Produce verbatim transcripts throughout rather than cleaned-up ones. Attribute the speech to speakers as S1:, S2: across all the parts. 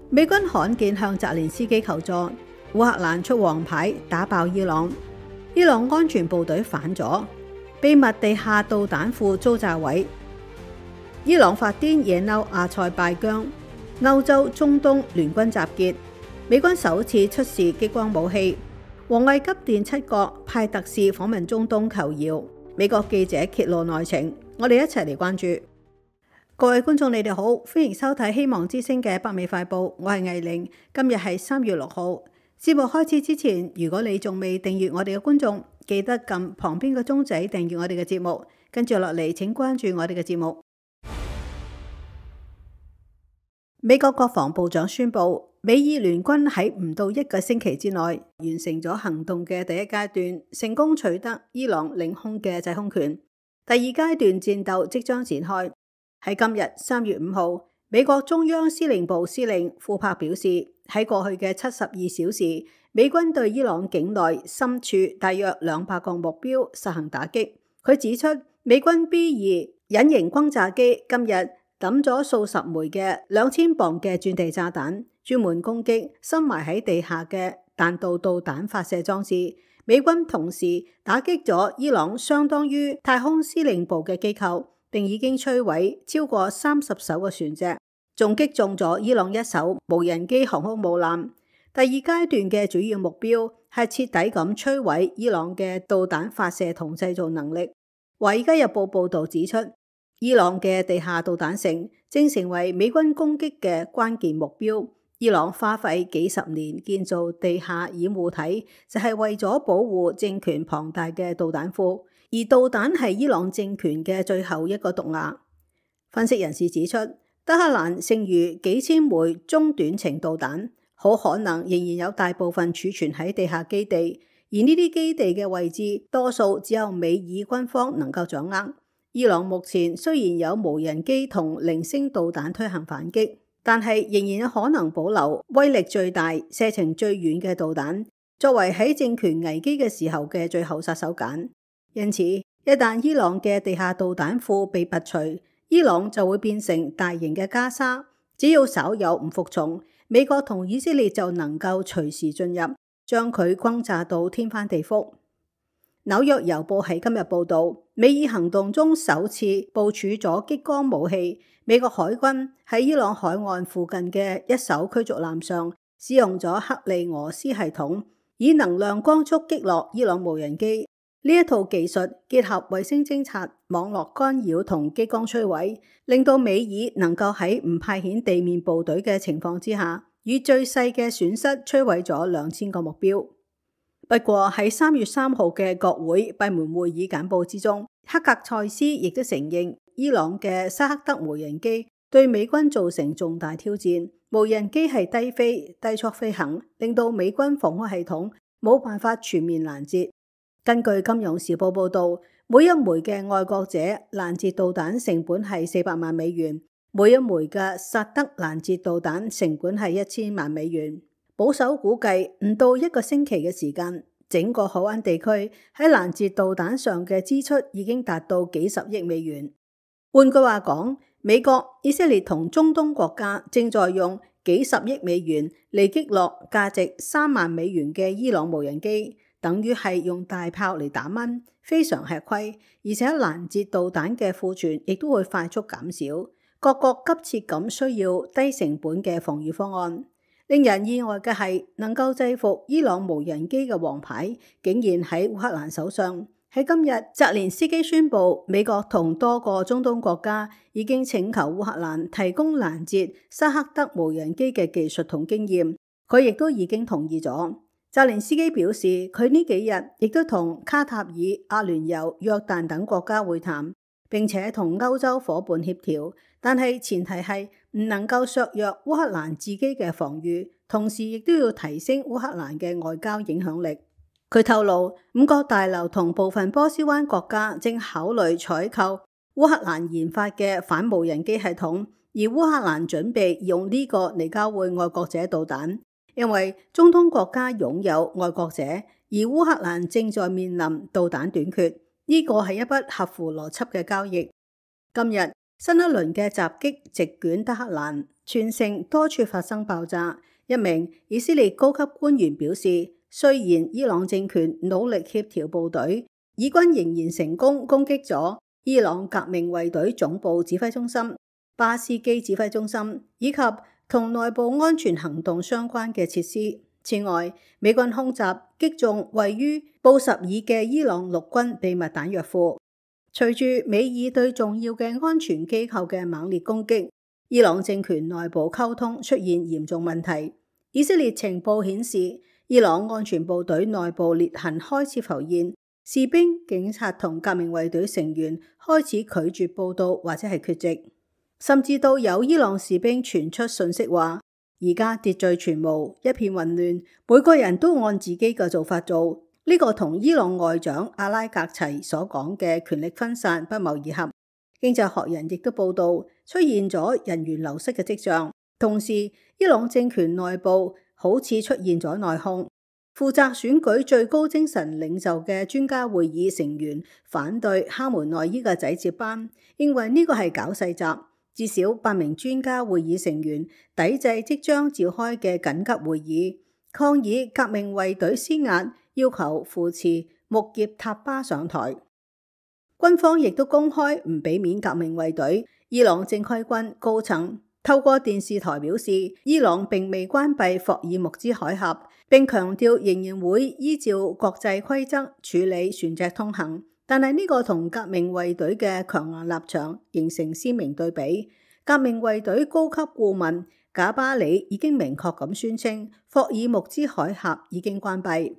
S1: 美軍罕見向澤連斯基求助，烏克蘭出黃牌打爆伊朗，伊朗安全部隊反咗，秘密地下導彈庫遭炸毀，伊朗發癲惹嬲阿塞拜疆，歐洲、中東聯軍集結，美軍首次出示激光武器，王毅急電七國派特使訪問中東求饒，美國記者揭露內情，我哋一齊嚟關注。各位觀眾你哋好，歡迎收睇希望之聲嘅北美快報，我係藝玲，今日係三月六號。節目開始之前，如果你仲未訂閱我哋嘅觀眾，記得撳旁邊個鐘仔訂閱我哋嘅節目，跟住落嚟請關注我哋嘅節目。美國國防部長宣布，美伊聯軍喺唔到一個星期之內完成咗行動嘅第一階段，成功取得伊朗領空嘅制空權。第二階段戰鬥即將展開。喺今日三月五號，美國中央司令部司令庫珀表示，喺過去嘅七十二小時，美軍對伊朗境內深處大約兩百個目標實行打擊。佢指出，美軍 B 二隱形轟炸機今日抌咗數十枚嘅兩千磅嘅鑽地炸彈，專門攻擊深埋喺地下嘅彈道導彈發射裝置。美軍同時打擊咗伊朗相當於太空司令部嘅機構，並已經摧毀超過三十艘嘅船隻，仲擊中咗伊朗一艘無人機航空母艦。第二階段嘅主要目標係徹底咁摧毀伊朗嘅導彈發射同製造能力。華爾街日報報道指出，伊朗嘅地下導彈城正成為美軍攻擊嘅關鍵目標。伊朗花費幾十年建造地下掩護體，就係為咗保護政權龐大嘅導彈庫。而導彈係伊朗政權嘅最後一個毒牙。分析人士指出，德黑蘭剩餘幾千枚中短程導彈，好可能仍然有大部分儲存喺地下基地，而呢啲基地嘅位置多數只有美伊軍方能夠掌握。伊朗目前雖然有無人機同零星導彈推行反擊，但係仍然有可能保留威力最大、射程最遠嘅導彈，作為喺政權危機嘅時候嘅最後殺手鐧。因此，一旦伊朗嘅地下導彈庫被拔除，伊朗就會變成大型嘅加沙。只要稍有唔服從，美國同以色列就能夠隨時進入，將佢轟炸到天翻地覆。紐約郵報喺今日報道，美伊行動中首次部署咗激光武器。美國海軍喺伊朗海岸附近嘅一艘驅逐艦上使用咗克利俄斯系統，以能量光速擊落伊朗無人機。呢一套技術結合衛星偵察、網絡干擾同激光摧毀，令到美伊能夠喺唔派遣地面部隊嘅情況之下，以最細嘅損失摧毀咗兩千個目標。不過喺三月三號嘅國會閉門會議簡報之中，黑格塞斯亦都承認伊朗嘅沙克德無人機對美軍造成重大挑戰。無人機係低飛、低速飛行，令到美軍防空系統冇辦法全面攔截。根據金融時報報道，每一枚嘅愛國者攔截導彈成本係四百萬美元，每一枚嘅薩德攔截導彈成本係一千萬美元。保守估計，唔到一個星期嘅時間，整個海灣地區喺攔截導彈上嘅支出已經達到幾十億美元。換句話講，美國、以色列同中東國家正在用幾十億美元嚟擊落價值三萬美元嘅伊朗無人機。等於係用大炮嚟打蚊，非常吃虧，而且攔截導彈嘅庫存亦都會快速減少。各國急切咁需要低成本嘅防禦方案。令人意外嘅係，能夠制服伊朗無人機嘅王牌，竟然喺烏克蘭手上。喺今日，澤連斯基宣布，美國同多個中東國家已經請求烏克蘭提供攔截沙克德無人機嘅技術同經驗，佢亦都已經同意咗。澤連斯基表示，佢呢幾日亦都同卡塔爾、阿聯酋、約旦等國家會談，並且同歐洲夥伴協調，但係前提係唔能夠削弱烏克蘭自己嘅防禦，同時亦都要提升烏克蘭嘅外交影響力。佢透露，五角大樓同部分波斯灣國家正考慮採購烏克蘭研發嘅反無人機系統，而烏克蘭準備用呢個嚟交換愛國者導彈。因為中東國家擁有愛國者，而烏克蘭正在面臨導彈短缺，呢個係一筆合乎邏輯嘅交易。今日新一輪嘅襲擊席捲德黑蘭，全城多處發生爆炸。一名以色列高級官員表示，雖然伊朗政權努力協調部隊，以軍仍然成功攻擊咗伊朗革命衛隊總部指揮中心、巴斯基指揮中心以及同內部安全行動相關嘅設施。此外，美軍空襲擊中位於布什爾嘅伊朗陸軍秘密彈藥庫。隨住美以對重要嘅安全機構嘅猛烈攻擊，伊朗政權內部溝通出現嚴重問題。以色列情報顯示，伊朗安全部隊內部裂痕開始浮現，士兵、警察同革命衛隊成員開始拒絕報到或者係缺席，甚至到有伊朗士兵傳出訊息話，而家秩序全無，一片混亂，每個人都按自己嘅做法做。呢個同伊朗外長阿拉格齊所講嘅權力分散不謀而合。經濟學人亦都報道出現咗人員流失嘅跡象，同時伊朗政權內部好似出現咗內訌。負責選舉最高精神領袖嘅專家會議成員反對哈梅內伊嘅仔接班，認為呢個係搞細集。至少八名專家會議成員抵制即將召開嘅緊急會議，抗議革命衛隊施壓，要求扶持穆葉塔巴上台。軍方亦都公開唔俾面革命衛隊。伊朗正規軍高層透過電視台表示，伊朗並未關閉霍爾木茲海峽，並強調仍然會依照國際規則處理船隻通行。但係呢個同革命衛隊嘅強硬立場形成鮮明對比。革命衛隊高級顧問賈巴里已經明確咁宣稱，霍爾木茲海峽已經關閉。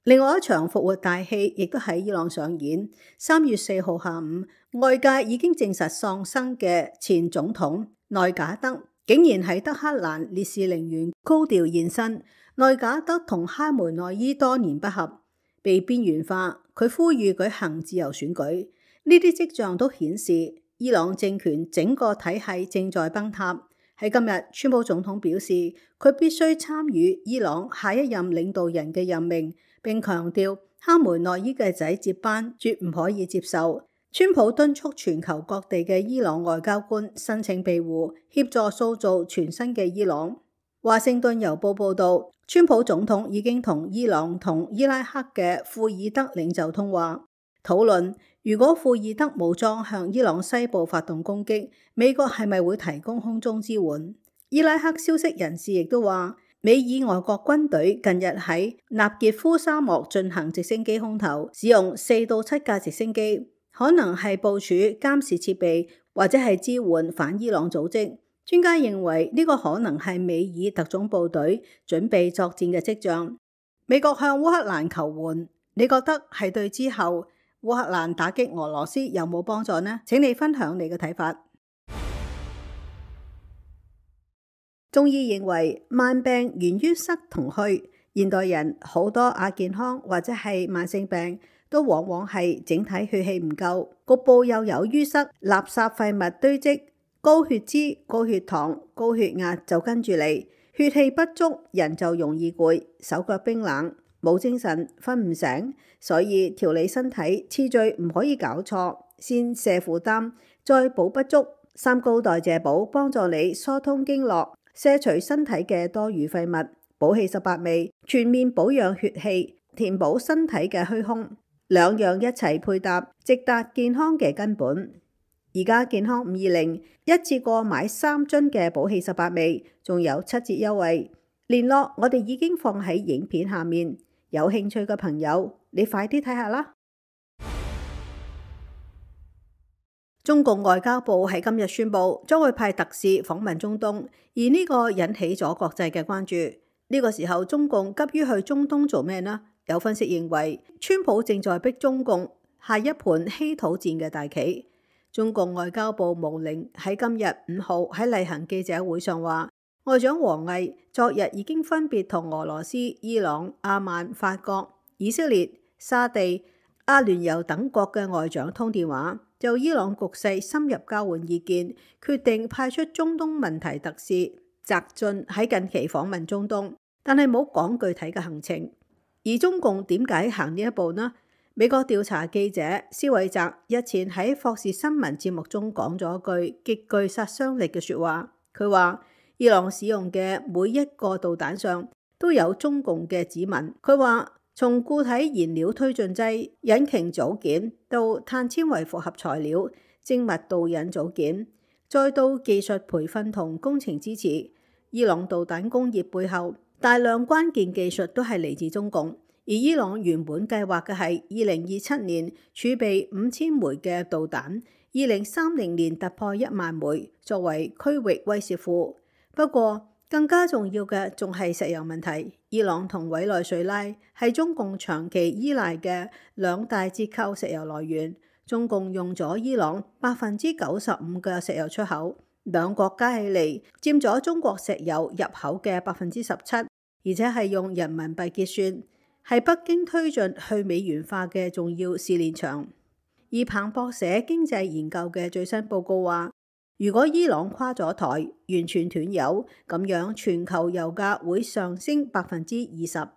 S1: 另外一場復活大戲亦都喺伊朗上演。三月四號下午，外界已經證實喪生嘅前總統內賈德竟然喺德黑蘭烈士陵園高調現身。內賈德同哈梅內伊多年不合，被邊緣化。佢呼籲舉行自由選舉，呢啲跡象都顯示伊朗政權整個體系正在崩塌。喺今日，川普總統表示佢必須參與伊朗下一任領導人嘅任命，並強調哈梅內伊嘅仔接班絕唔可以接受。川普敦促全球各地嘅伊朗外交官申請庇護，協助塑造全新嘅伊朗。華盛頓郵報報道，川普總統已經同伊朗同伊拉克嘅庫爾德領袖通話，討論如果庫爾德武裝向伊朗西部發動攻擊，美國係咪會提供空中支援？伊拉克消息人士亦都話，美以外國軍隊近日喺納傑夫沙漠進行直升機空投，使用四到七架直升機，可能係部署監視設備或者係支援反伊朗組織。專家認為呢個可能係美以特種部隊準備作戰嘅跡象。美國向烏克蘭求援，你覺得係對之後烏克蘭打擊俄羅斯有冇幫助呢？請你分享你嘅睇法。中醫認為慢病源於塞同虛，現代人好多亞健康或者係慢性病都往往係整體血氣唔夠，局部又有淤塞、垃圾廢物堆積。高血脂、高血糖、高血壓就跟住嚟，血氣不足，人就容易攰，手腳冰冷，冇精神，瞓唔醒。所以調理身體次序唔可以搞錯，先瀉負擔，再補不足。三高代謝補幫助你疏通經絡，卸除身體嘅多餘廢物。補氣十八味，全面保養血氣，填補身體嘅虛空，兩樣一齊配搭，直達健康嘅根本。而家健康五二零一次過買三樽嘅補氣十八味，仲有七折優惠。聯絡我哋已經放喺影片下面，有興趣嘅朋友你快啲睇下啦。中共外交部喺今日宣布將會派特使訪問中東，而呢個引起咗國際嘅關注。呢個時候中共急於去中東做咩呢？有分析認為，川普正在逼中共下一盤稀土戰嘅大棋。中共外交部毛寧喺今日五號喺例行記者會上話，外長王毅昨日已經分別同俄羅斯、伊朗、阿曼、法國、以色列、沙地、阿聯酋等國嘅外長通電話，就伊朗局勢深入交換意見，決定派出中東問題特使翟雋喺近期訪問中東，但係冇講具體嘅行程。而中共點解行呢一步呢？美國調查記者施韋澤日前喺霍士新聞節目中講咗句極具殺傷力嘅說話。佢話伊朗使用嘅每一個導彈上都有中共嘅指紋。佢話從固體燃料推進劑、引擎組件到碳纖維複合材料、精密導引組件，再到技術培訓同工程支持，伊朗導彈工業背後大量關鍵技術都係嚟自中共。而伊朗原本計劃嘅係二零二七年儲備五千枚嘅導彈，二零三零年突破一萬枚，作為區域威懾庫。不過更加重要嘅仲係石油問題。伊朗同委內瑞拉係中共長期依賴嘅兩大折扣石油來源，中共用咗伊朗百分之九十五嘅石油出口，兩國加起嚟佔咗中國石油入口嘅百分之十七，而且係用人民幣結算，係北京推進去美元化嘅重要試煉場。而彭博社經濟研究嘅最新報告話，如果伊朗垮咗台，完全斷油，咁樣全球油價會上升百分之二十。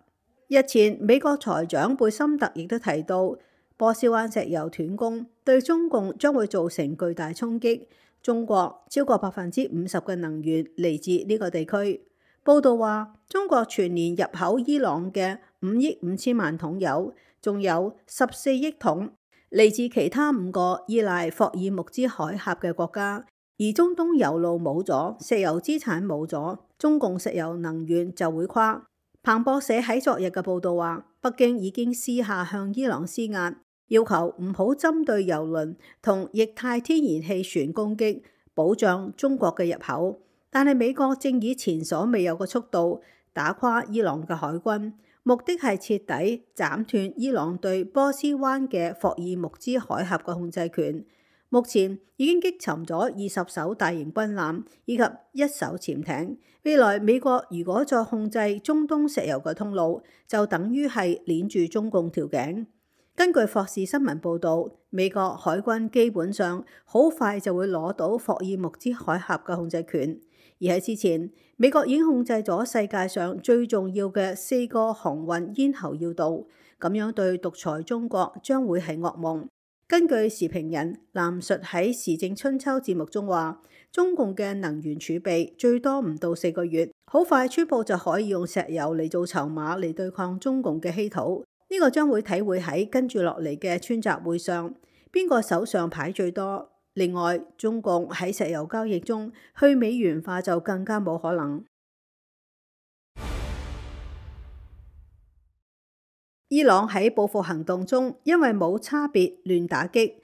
S1: 日前美國財長貝森特亦都提到，波斯灣石油斷供對中共將會造成巨大衝擊。中國超過百分之五十嘅能源嚟自呢個地區。報道話，中國全年入口伊朗嘅五億五千萬桶油，仲有十四億桶嚟自其他五個依賴霍爾木茲海峽嘅國家。而中東油路冇咗，石油資產冇咗，中共石油能源就會垮。彭博社喺昨日嘅報道話，北京已經私下向伊朗施壓，要求唔好針對油輪同液態天然氣船攻擊，保障中國嘅入口。但係美國正以前所未有嘅速度打垮伊朗嘅海軍，目的係徹底斬斷伊朗對波斯灣嘅霍爾木茲海峽嘅控制權。目前已經擊沉咗二十艘大型軍艦以及一艘潛艇。未來美國如果再控制中東石油嘅通路，就等於係鏈住中共條頸。根據霍士新聞報導，美國海軍基本上好快就會攞到霍爾木茲海峽嘅控制權。而喺之前，美國已經控制咗世界上最重要嘅四個航運咽喉要道，咁樣對獨裁中國將會係噩夢。根據時評人藍述喺時政春秋節目中話，中共嘅能源儲備最多唔到四個月，好快川普就可以用石油嚟做籌碼嚟對抗中共嘅稀土。呢、這個將會體會喺跟住落嚟嘅川習會上，邊個手上牌最多。另外，中共喺石油交易中去美元化就更加冇可能。伊朗喺報復行動中，因為冇差別亂打擊，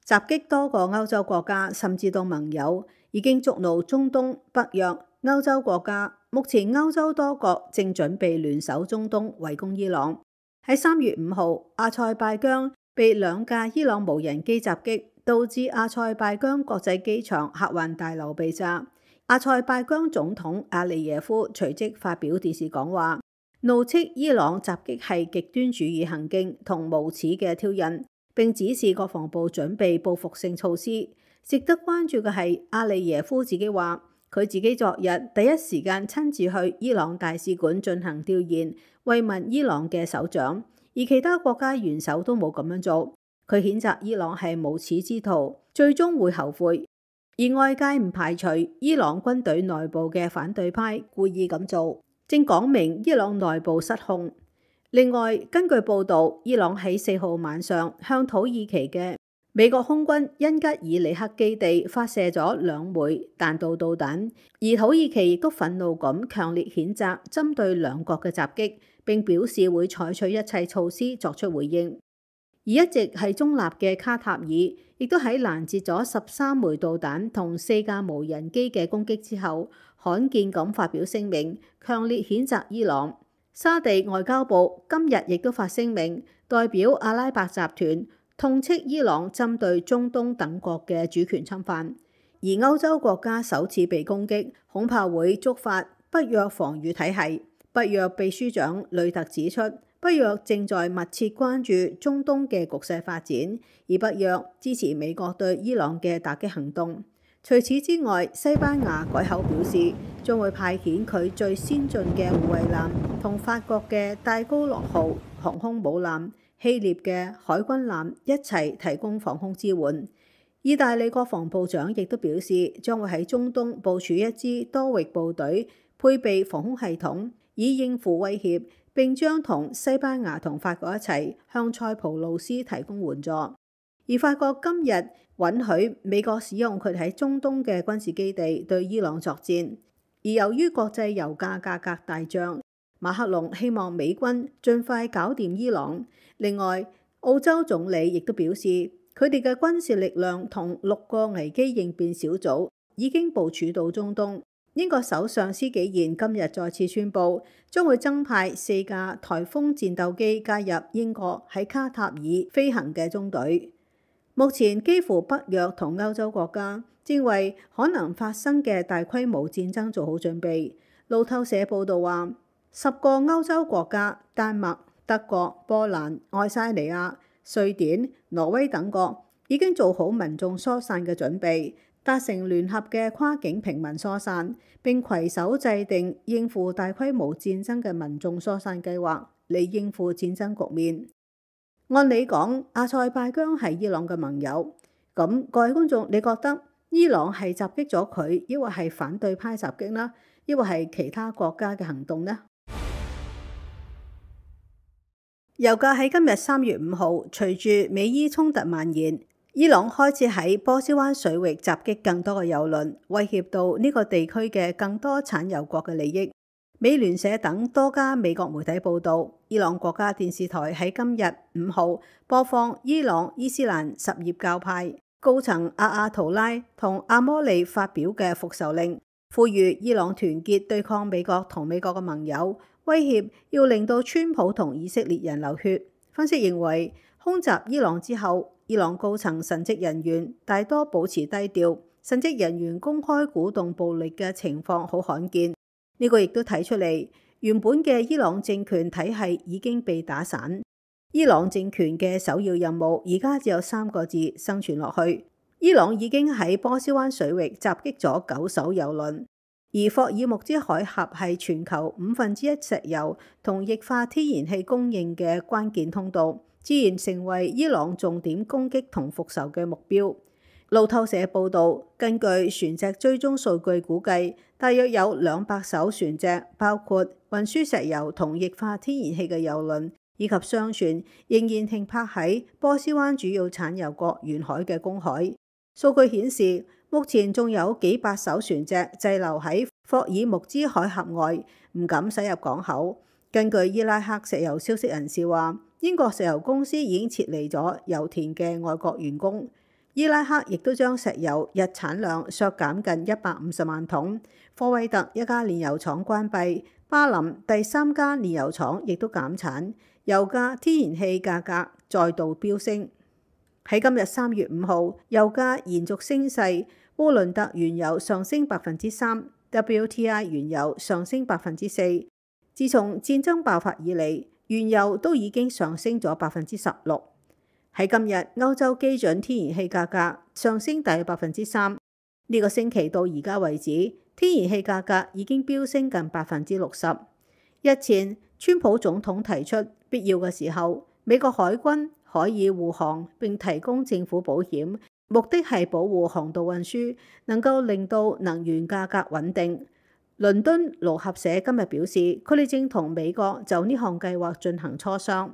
S1: 襲擊多個歐洲國家，甚至到盟友，已經觸怒中東、北約、歐洲國家。目前歐洲多國正準備聯手中東圍攻伊朗。喺三月五號，阿塞拜疆被兩架伊朗無人機襲擊，導致阿塞拜疆國際機場客運大樓被炸。阿塞拜疆總統阿利耶夫隨即發表電視講話，怒斥伊朗襲擊係極端主義行徑同無恥嘅挑釁，並指示國防部準備報復性措施。值得關注嘅係，阿利耶夫自己話，佢自己昨日第一時間親自去伊朗大使館進行調研，慰問伊朗嘅首長，而其他國家元首都冇咁樣做。佢譴責伊朗係無恥之徒，最終會後悔。而外界唔排除伊朗軍隊內部嘅反對派故意咁做，正講明伊朗內部失控。另外，根據報導，伊朗喺四號晚上向土耳其嘅美國空軍恩吉爾里克基地發射咗兩枚彈道導彈，而土耳其亦都憤怒咁強烈譴責針對兩國嘅襲擊，並表示會採取一切措施作出回應。而一直係中立嘅卡塔爾，亦都喺攔截咗十三枚導彈同四架無人機嘅攻擊之後，罕見咁發表聲明，強烈譴責伊朗。沙地外交部今日亦都發聲明，代表阿拉伯集團痛斥伊朗針對中東等國嘅主權侵犯。而歐洲國家首次被攻擊，恐怕會觸發北約防禦體系。北約秘書長呂特指出，北約正在密切關注中東嘅局勢發展，而北約支持美國對伊朗嘅打擊行動。除此之外，西班牙改口表示，將會派遣佢最先進嘅護衛艦同法國嘅戴高樂號航空母艦希臘嘅海軍艦一齊提供防空支援。意大利國防部長亦都表示，將會喺中東部署一支多域部隊，配備防空系統，以應付威脅，並將同西班牙同法國一齊向塞浦路斯提供援助。而法國今日允許美國使用佢喺中東嘅軍事基地對伊朗作戰。而由於國際油價價格大漲，馬克龍希望美軍盡快搞掂伊朗。另外，澳洲總理亦都表示，佢哋嘅軍事力量同六個危機應變小組已經部署到中東。英國首相施紀賢今日再次宣布，將會增派四架颱風戰鬥機加入英國喺卡塔爾飛行嘅中隊。目前幾乎北約同歐洲國家正為可能發生嘅大規模戰爭做好準備。路透社報道話，十個歐洲國家丹麥、德國、波蘭、愛沙尼亞、瑞典、挪威等國已經做好民眾疏散嘅準備，達成聯合嘅跨境平民疏散，並攜手制定應付大規模戰爭嘅民眾疏散計劃，嚟應付戰爭局面。按理講，阿塞拜疆係伊朗嘅盟友，咁各位觀眾，你覺得伊朗係襲擊咗佢，抑或係反對派襲擊呢？抑或係其他國家嘅行動呢？油價喺今日三月五號，隨住美伊衝突蔓延，伊朗開始喺波斯灣水域襲擊更多嘅油輪，威脅到呢個地區嘅更多產油國嘅利益。美聯社等多家美國媒體報道，伊朗國家電視台喺今日五號播放伊朗伊斯蘭什葉教派高層阿阿圖拉同阿摩利發表嘅復仇令，呼籲伊朗團結對抗美國同美國嘅盟友，威脅要令到川普同以色列人流血。分析認為，空襲伊朗之後，伊朗高層神職人員大多保持低調，神職人員公開鼓動暴力嘅情況好罕見。呢個亦都睇出嚟，原本嘅伊朗政權體系已經被打散。伊朗政權嘅首要任務而家只有三個字：生存落去。伊朗已經喺波斯灣水域襲擊咗九艘油輪，而霍爾木茲海峽係全球五分之一石油同液化天然氣供應嘅關鍵通道，自然成為伊朗重點攻擊同復仇嘅目標。路透社報導，根據船隻追蹤數據估計，大約有兩百艘船隻，包括運輸石油同液化天然氣嘅油輪以及商船，仍然停泊喺波斯灣主要產油國沿海嘅公海。數據顯示，目前仲有幾百艘船隻滯留喺霍爾木茲海峽外，唔敢駛入港口。根據伊拉克石油消息人士話，英國石油公司已經撤離咗油田嘅外國員工。伊拉克亦都將石油日產量削減近一百五十萬桶，科威特一家煉油廠關閉，巴林第三家煉油廠亦都減產，油價、天然氣價格再度飆升。喺今日三月五號，油價延續升勢，烏倫特原油上升百分之三 ，W T I 原油上升百分之四。自從戰爭爆發以嚟，原油都已經上升咗百分之十六。喺今日，歐洲基準天然氣價格上升大約百分之三。呢個星期到而家為止，天然氣價格已經飆升近百分之六十。日前，川普總統提出必要嘅時候，美國海軍可以護航並提供政府保險，目的係保護航道運輸，能夠令到能源價格穩定。倫敦勞合社今日表示，佢哋正同美國就呢項計劃進行磋商。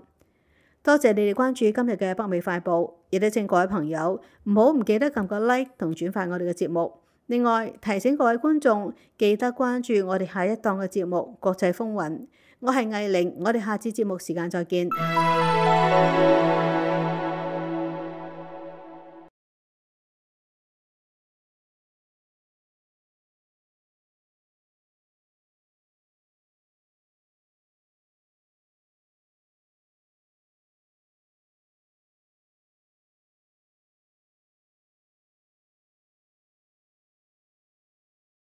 S1: 多謝你哋關注今日嘅北美快報，亦都請各位朋友唔好唔記得撳個 like 同轉發我哋嘅節目。另外提醒各位觀眾記得關注我哋下一檔嘅節目《國際風雲》。我係藝玲，我哋下次節目時間再見。